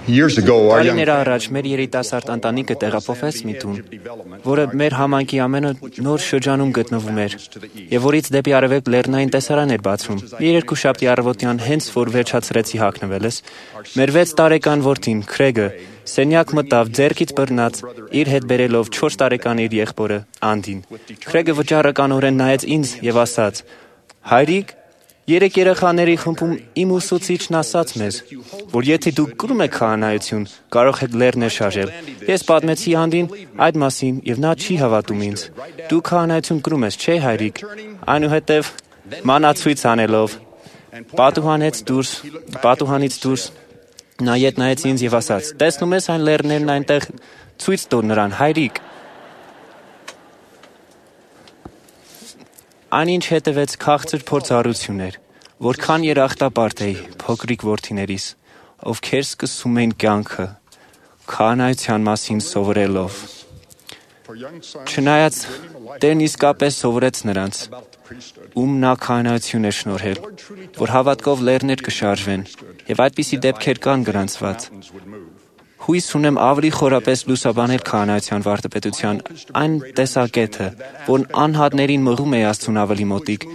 Years ago, our young Տարիներ առաջ մեր երիտասարդ ընտանիքը տեղափոխվեց մի տուն, որը մեր համայնքի ամենը նոր շրջանում գտնվում էր, եւ որից դեպի արևելք լեռնային տեսարան էր բացվում։ Մի երկուշաբթի առավոտյան հենց որ վերջացրեցի հագնվելս, մեր 6 տարեկան որդին Քրեգը սենյակ մտավ ձեռքից բռնած, իր հետ բերելով 4 տարեկան իր եղբորը Անդին։ Քրեգը վճռականորեն նայեց ինձ եւ ասաց. «Հայրիկ, 3 երեխաների խմբում իմ ուսուցիչն ասաց մեզ, որ եթե դուք կրում եք քահանայություն, կարող եք լեռներ շարժել։ Ես պատմեցի Անդին այդ մասին եւ նա չի հավատում ինձ։ Դու քահանայություն կրում ես, չէ՞ հայրիկ»։ Այնուհետև մանացույց անելով պատուհանից դուրս նա ետ նայեց ինձ եւ ասաց. «Տեսնում ես այն լեռներն այնտեղ, ցույց տուր նրան, հայրիկ»։ Այնինչ հետևեց քաղցր փորձառություն էր, որքան երախտապարտ էի փոքրիկ որդիներիս, ովքեր սկսում էին կյանքը քահանայության մասին սովորելով։ Չնայած Տերն իսկապես սովորեց նրանց, ում նա քահանայություն էր շնորհել, որ հավատքով լեռներ կշարժվեն, եւ այդպիսի դեպքեր կան գրանցված։ Հույս ունեմ ավելի խորապես լուսաբանել քահանայության վարդապետության այն տեսակետը, որն անհատներին մղում է Աստծուն ավելի մոտիկ,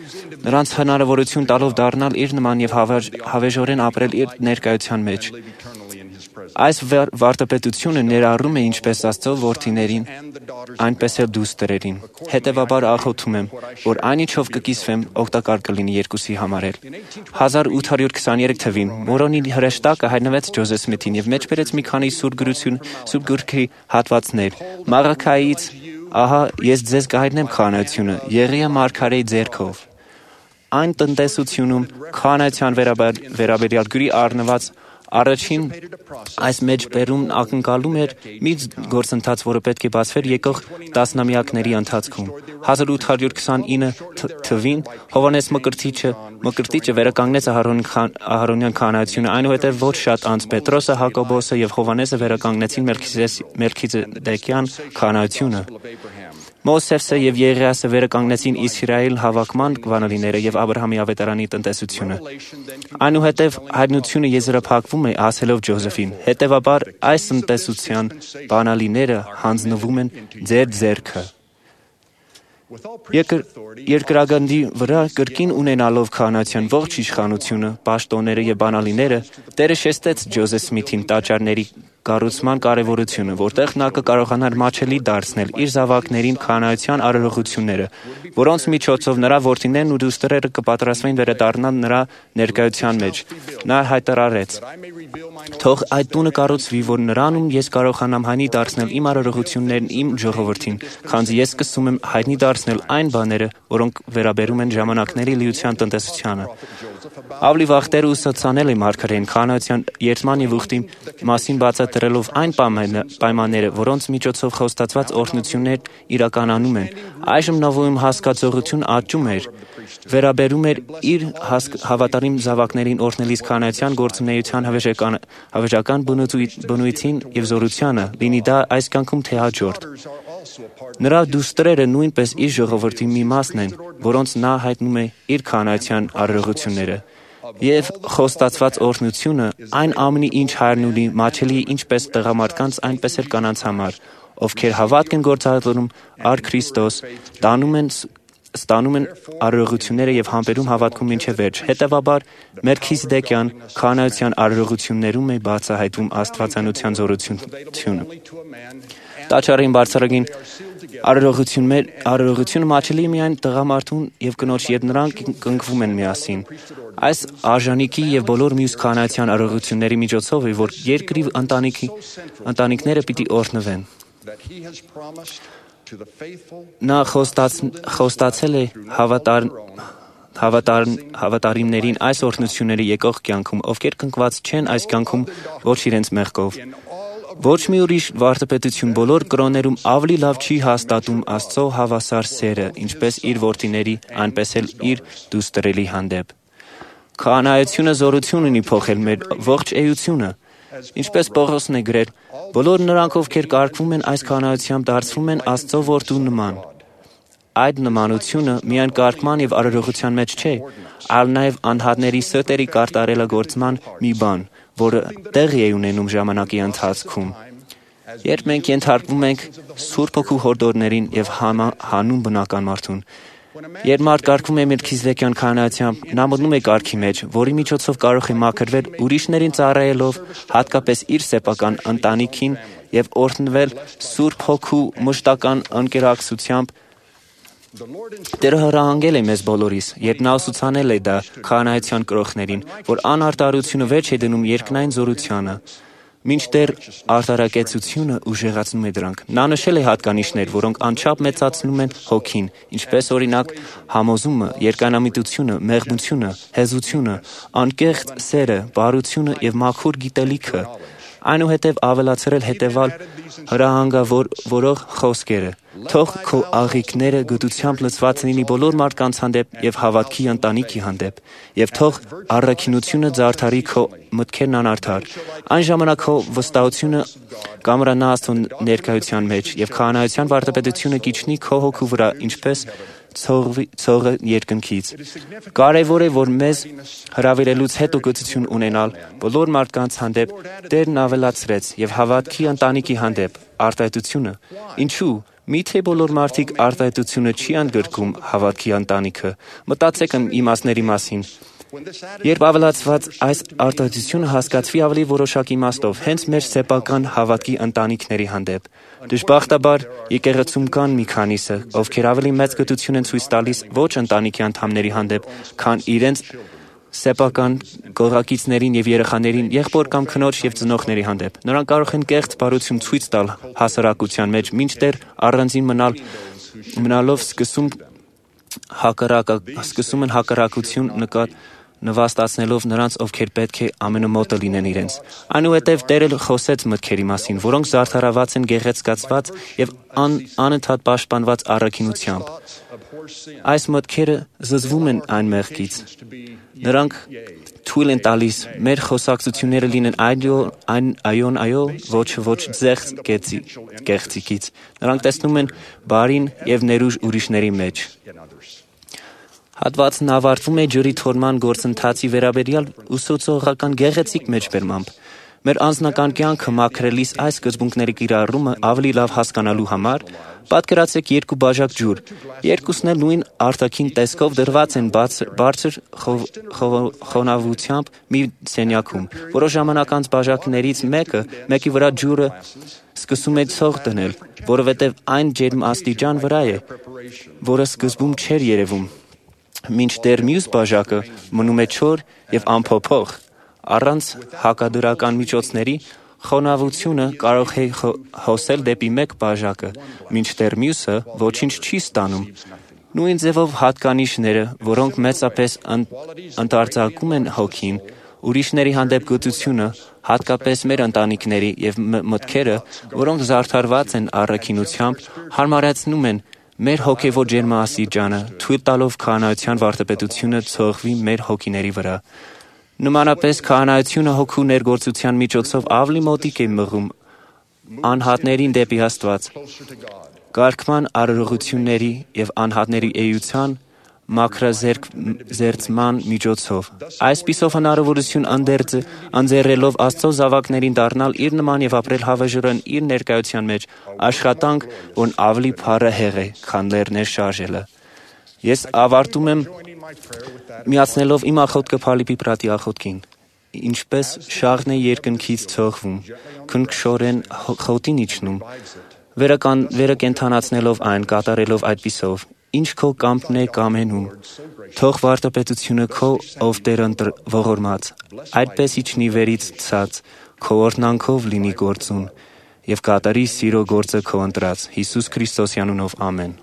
նրանց հնարավորություն տալով դառնալ իր նման եւ հավերժորեն ապրել իր ներկայության մեջ։ Այս վարդապետությունը ներառում է ինչպես Աստծո որդիներին, այնպես էլ դուստրերին։ Հետևաբար աղոթում եմ, որ այնիչով կկիսվեմ օգտակար կլինի երկուսի համար էլ։ 1823 թվին Մորոնի հրեշտակը հայտնվեց Ջոզեֆ Սմիթին եւ մեջբերեց մի քանի սուրբ գրքի հատվածներ։ Մաղաքայից «Ահա ես ձեզ կհայտնեմ քահանայությունը» Եղիա մարգարեի ձեռքով։ Այն տնտեսությունում քահանայության վերաբերյալ գրի առնված առաջին այս մեջբերումն ակնկալում էր մի գործընթաց, որը պետք է բացվեր եկող տասնամյակների ընթացքում։ 1829 թվին Հովհաննես Մկրտիչը վերականգնեց Ահարոնյան քահանայությունը, այնուհետև ոչ շատ անց Պետրոսը, Հակոբոսը եւ Հովհաննեսը վերականգնեցին Մելքիզեդեկյան քահանայությունը։ Մովսեսը եւ Եղիասը վերականգնեցին Իսրայել հավաքման բանալիները եւ Աբրահամի ավետարանի տնտեսությունը։ Այնուհետև հայտնությունը եզրափակվում է ասելով Ջոզեֆին. հետևաբար այս տնտեսության բանալիները հանձնվում են ձեր ձեռքը։ Երկրագնդի վրա կրկին ունենալով քահանայության ողջ իշխանությունը, պաշտոնները եւ բանալիները, Տերը շեշտեց Ջոզեֆ Սմիթին տաճարների կառուցման կարևորությունը, որտեղ նա կկարողանար մատչելի դարձնել իր զավակներին քահանայության արարողությունները, որոնց միջոցով նրա որդիներն ու դուստրերը կպատրաստվեն վերադառնալ նրա ներկայության մեջ։ Նա հայտարարեց. «Թող այդ տունը կառուցվի, որ նրանում ես կարողանամ հայտնի դարձնել իմ արարողություններն իմ ժողովրդին, քանզի ես սկսում եմ հայտնի դարձնել այն բաները, որոնք վերաբերում են ժամանակների լիության տնտեսությանը»։ Ավելի վաղ Տերը ուսուցանել է մարգարեին քահանայության երդման եւ ուխտի մասին բացատրելով այն պայմանները, որոնց միջոցով խոստացված օրհնություններ իրականանում են։ Այժմ նովում հասկացողություն աճում էր, վերաբերում էր իր հավատարիմ զավակներին օրհնելիս քահանայության գործունեության հավերժական բնույթին եւ զորությանը, լինի դա այս կյանքում թե հաջորդ։ Նրա դուստրերը նույնպես իր ժողովրդի մի մասն են, որոնց նա հայտնում է իր քահանայության արարողությունները։ Եվ խոստացված օրհնությունը այն ամենի, ինչ հայրն ունի, մատչելի է ինչպես տղամարդկանց, այնպես էլ կանանց համար, ովքեր հավատք են գործադրում առ Քրիստոս, ստանում են արարողությունները եւ համբերում հավատքում մինչեւ վերջ։ Հետևաբար Մելքիզեդեկյան քահանայության արարողություններում է բացահայտվում աստվածանության զորությունը։ Տաճարին բարձրագին արարողությունը մատչելի է միայն տղամարդուն եւ կնոջ, երբ նրանք կնքվում են միասին։ Այս արժանիքի եւ բոլոր մյուս քահանայության արարողությունների միջոցով է, որ երկրի ընտանիքները պիտի օրհնվեն։ Նա խոստացել է հավատարիմներին այս օրհնությունները եկող կյանքում, ովքեր կնքված չեն այս կյանքում ոչ իրենց մեղքով։ Ոչ մի ուրիշ վարդապետություն բոլոր կրոններում ավելի լավ չի հաստատում Աստծո հավասար սերը, ինչպես իր որդիների, այնպես էլ իր դուստրերի հանդեպ։ Քահանայությունը զորություն ունի փոխել մեր ողջ էությունը։ Ինչպես Պողոսն է գրել, բոլոր նրանք, ովքեր կարգվում են այս քահանայությամբ, դարձվում են Աստծո որդու նման։ Այդ նմանությունը միայն կարգման եւ արարողության մեջ չէ, այլ նաեւ անհատների սրտերի կարտարելագործման մի բան, որը տեղի է ունենում ժամանակի ընթացքում։ Երբ մենք ենթարկվում ենք Սուրբ Հոգու հորդորներին եւ հանուն բնական մարդուն, երբ մարդ կարգվում է մելքիզեդեկյան քահանայությամբ, նա մտնում է կարգի մեջ, որի միջոցով կարող է մաքրվել ուրիշներին ծառայելով, հատկապես իր սեփական ընտանիքին եւ օրհնվել Սուրբ Հոգու մշտական ընկերակցությամբ։ Տերը հրահանգել է մեզ բոլորիս, երբ նա ուսուցանել է դա քահանայության կրողներին, որ անարտարությունը վերջ է դնում երկնային զորությանը, մինչդեռ արտարակեցությունը ուժեղացնում է դրանք։ Նա նշել է հատկանիշներ, որոնք անչափ մեծացնում են հոգին, ինչպես օրինակ համոզումը, երկայնամիտությունը, մեղմությունը, հեզությունը, անկեղծ սերը, բարությունը եւ մաքուր գիտելիքը, այնուհետև ավելացրել հետևալ հրահանգավորող խոսքերը։ Թող քո աղիքները գտությամբ լցված լինի բոլոր մարդկանց հանդեպ եւ հավատքի ընտանիքի հանդեպ, եւ թող առաքինությունը զարդարի քո մտքերն անարդար։ Այն ժամանակ քո վստահությունը կամրանա Աստծո ներկայության մեջ եւ քահանայության վարդապետությունը կիջնի քո հոգու վրա, ինչպես ցողը երկնքից։ Կարևոր է, որ մեզ հրավիրելուց հետո գոհություն ունենալ բոլոր մարդկանց հանդեպ Տերն ավելացրեց եւ հավատքի ընտանիքի հանդեպ արտահայտությունը։ Ինչու՞։ Միթե բոլոր մարդիկ արտահայտությունը չի ընդգրկում հավատքի ընտանիքը։ Մտածեք իմաստների մասին։ Երբ ավելացված այս արտահայտությունը հասկացվի ավելի որոշակի իմաստով, հենց մեր սեփական հավատքի ընտանիքների հանդեպ, դժբախտաբար եկեղեցում կան մի քանիսը, ովքեր ավելի մեծ գտություն են ցույց տալիս ոչ ընտանիքի անդամների հանդեպ, քան իրենց սեփական գողակիցներին եւ երեխաներին, եղբոր կամ քնոջ եւ ծնողների հանդեպ։ Նրանք կարող են կեղծ բարություն ցույց տալ հասարակության մեջ, մինչդեռ առանձին մնալով սկսում են հակառակություն նվաստացնելով նրանց, ովքեր պետք է ամենամոտը լինեն իրենց։ Այնուհետև Տերը խոսեց մտքերի մասին, որոնք զարդարված են գեղեցկացված եւ անընդհատ պաշտպանված առաքինությամբ։ Այս մտքերը զզվում են այն մեղքից։ Նրանք թույլ են տալիս մեր խոսակցությունները լինեն այոն այո, ոչ ձեղց կեղծիկից։ Նրանք տեսնում են բարին եւ ներուժ ուրիշների մեջ։ Հատվածն ավարտվում է ջրի թորման գործընթացի վերաբերյալ ուսուցողական գեղեցիկ մեջբերմամբ։ Մեր անձնական կյանքը մաքրելիս այս սկզբունքների կիրառումը ավելի լավ հասկանալու համար պատկերացրեք երկու բաժակ ջուր։ Երկուսն էլ նույն արտաքին տեսքով դրված են բարձր խոնավությամբ մի սենյակում։ Որոշ ժամանակ անց բաժակներից մեկի վրա ջուրը սկսում է ցող դնել, որովհետև այն ջերմաստիճան վրա է, որը սկզբում չէր երևում, մինչդեռ մյուս բաժակը մնում է չոր եւ անփոփոխ։ Առանց հակադրական միջոցների խոնավությունը կարող է հոսել դեպի մեկ բաժակը, մինչդեռ մյուսը ոչինչ չի ստանում։ Նույն ձևով հատկանիշները, որոնք մեծապես ընդարձակում են հոգին, ուրիշների հանդեպ գոհությունը, հատկապես մեր ընտանիքների եւ մտքերը, որոնք զարդարված են առաքինությամբ, հարմարեցնում են մեր հոգևոր ջերմաստիճանը, թույլ տալով քահանայության վարդապետությունը ցողվի մեր հոգիների վրա։ Նմանապես քահանայությունը հոգու ներգործության միջոցով ավելի մոտիկ է մղում անհատներին դեպի Աստված։ Կարգման արարողությունների եւ անհատների էության մաքրազերծման միջոցով։ Այսպիսով հնարավորություն ընձեռելով Աստծո զավակներին դառնալ իր նման եւ ապրել հավերժորեն իր ներկայության մեջ, աշխատանք, որն ավելի փառահեղ է, քան լեռներ շարժելը։ Ես ավարտում եմ միացնելով իմ աղոթքը Փալիպի պրատի աղոթքին։ Ինչպես շաղն է երկնքից ցողվում, քնքշորեն խոտին իջնում, վերը կենթանացնելով այն, կատարելով այդպիսով, ինչ քո կամքն է կամենում, թող վարդապետությունը քո, ով Տեր ողորմած, այդպես իջնի վերից ցած, քո օրհնանքով լինի գործուն, եւ կատարի սիրո գործը քո ընտրած, Հիսուս Քրիստոսի անունով, ամեն։